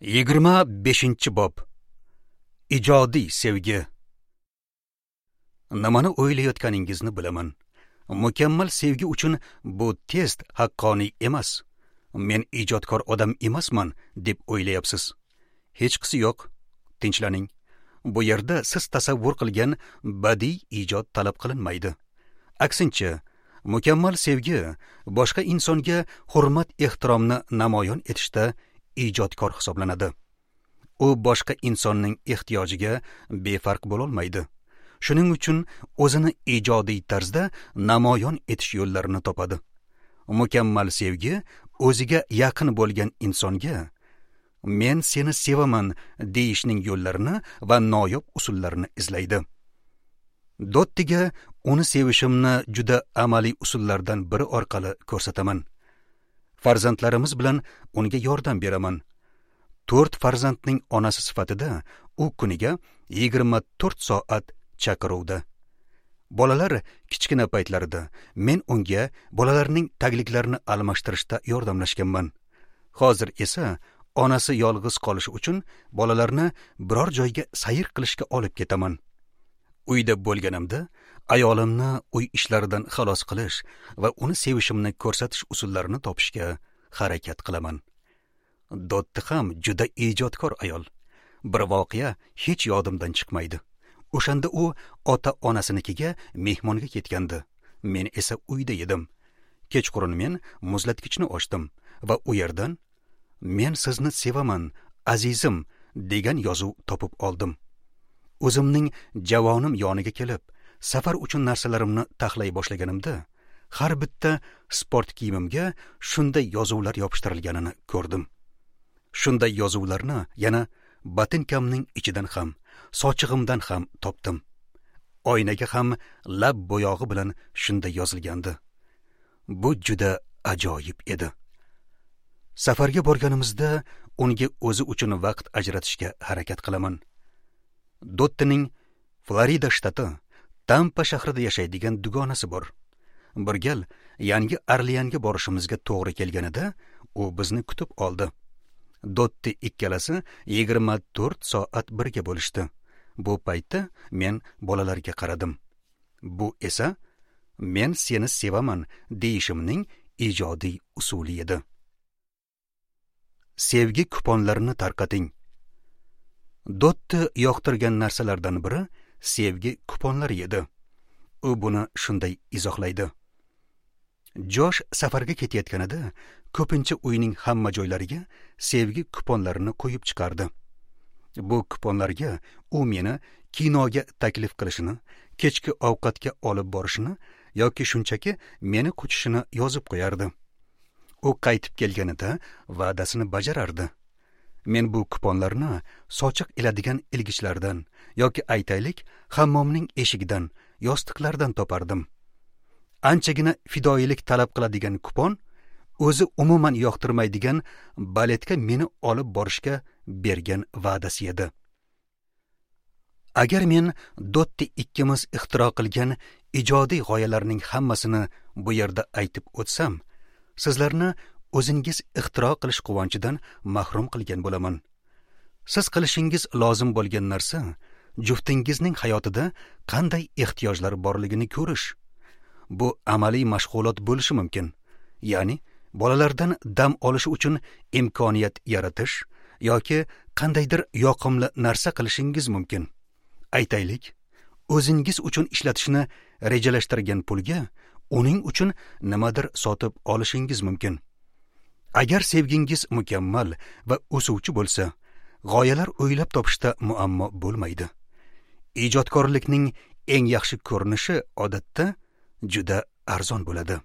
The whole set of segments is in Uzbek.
25-bob. Ijodiy sevgi. Nimani o'ylayotganingizni bilaman. Mukammal sevgi uchun bu test haqqoniy emas. Men ijodkor odam emasman deb o'ylayapsiz. Hechqisi yo'q. Tinchlaning. Bu yerda siz tasavvur qilgan badiiy ijod talab qilinmaydi. Aksincha, mukammal sevgi boshqa insonga hurmat ehtiromni namoyon etishda ijodkor hisoblanadi. U boshqa insonning ehtiyojiga befarq bo'la olmaydi. Shuning uchun o'zini ijodiy tarzda namoyon etish yo'llarini topadi. Mukammal sevgi o'ziga yaqin bo'lgan insonga men seni sevaman deyishning yo'llarini va noyob usullarini izlaydi. Dottiga uni sevishimni juda amaliy usullardan biri orqali ko'rsataman. Farzandlarimiz bilan unga yordam beraman. 4 farzandning onasi sifatida u kuniga 24 soat chaqiruvda. Bolalar kichkina paytlarida men unga bolalarning tagliklarini almashtirishda yordamlashganman. Hozir esa onasi yolg'iz qolishi uchun bolalarni biror joyga sayr qilishga olib ketaman. Uyda bo'lganimda ayolimni uy ishlaridan xalos qilish va uni sevishimni ko'rsatish usullarini topishga harakat qilaman. Dotti ham juda ijodkor ayol. Bir voqea hech yodimdan chiqmaydi. O'shanda u ota-onasinikiga mehmonga ketgandi. Men esa uyda edim. Kechqurun men muzlatgichni ochdim va u yerdan "Men sizni sevaman, azizim" degan yozuv topib oldim. O'zimning javonim yoniga kelib, safar uchun narsalarimni taxlay boshlaganimda, har bitta sport kiyimimga shunday yozuvlar yopishtirilganini ko'rdim. Shunday yozuvlarni yana botinkamning ichidan ham, sochig'imdan ham topdim. Oynaga ham lab bo'yog'i bilan shunday yozilgandi. Bu juda ajoyib edi. Safarga borganimizda unga o'zi uchun vaqt ajratishga harakat qilaman. Dottining Florida shtati Tampa shahrida yashaydigan dugonasi bor. Bir gal Yangi Orleanga borishimizga to'g'ri kelganida u bizni kutib oldi. Dotti ikkalasi 24 soat birga bo'lishdi. Bu paytda men bolalarga qaradim. Bu esa men seni sevaman deyishimning ijodiy usuli edi. Sevgi kuponlarini tarqating. Dotti yoqtirgan narsalardan biri sevgi kuponlari edi. U buni shunday izohlaydi. Josh safarga ketayotganida ko'pincha uyning hamma joylariga sevgi kuponlarini qo'yib chiqardi. Bu kuponlarga u meni kinoga taklif qilishini, kechki ovqatga olib borishini yoki shunchaki meni quchishini yozib qo'yardi. U qaytib kelganida va'dasini bajarardi. Men bu kuponlarni sochiq iladigan ilgichlardan yoki aytaylik, hammomning eshigidan, yostiqlardan topardim. Anchagina fidoyilik talab qiladigan kupon o'zi umuman yoqtirmaydigan baletga meni olib borishga bergan va'dasi edi. Agar men Dotti ikkimiz ixtiro qilgan ijodiy g'oyalarning hammasini bu yerda aytib o'tsam, sizlarni o'zingiz ixtiro qilish quvonchidan mahrum qilgan bo'laman. Siz qilishingiz lozim bo'lgan narsa juftingizning hayotida qanday ehtiyojlar borligini ko'rish. Bu amaliy mashg'ulot bo'lishi mumkin. Ya'ni bolalardan dam olish uchun imkoniyat yaratish yoki qandaydir yoqimli narsa qilishingiz mumkin. Aytaylik, o'zingiz uchun ishlatishni rejalashtirgan pulga uning uchun nimadir sotib olishingiz mumkin. Agar sevgingiz mukammal va o'suvchi bo'lsa, g'oyalar o'ylab topishda muammo bo'lmaydi. Ijodkorlikning eng yaxshi ko'rinishi odatda juda arzon bo'ladi.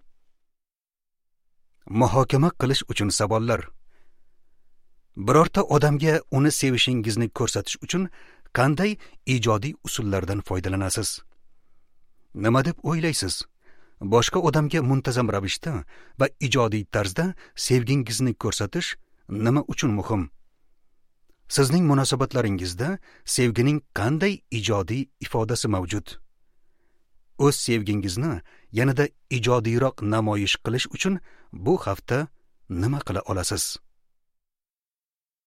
Muhokama qilish uchun savollar. Birorta odamga uni sevishingizni ko'rsatish uchun qanday ijodiy usullardan foydalanasiz? Nima deb o'ylaysiz? Boshqa odamga muntazam ravishda va ijodiy tarzda sevgingizni ko'rsatish nima uchun muhim? Sizning munosabatlaringizda sevgining qanday ijodiy ifodasi mavjud? O'z sevgingizni yanada ijodiyroq namoyish qilish uchun bu hafta nima qila olasiz?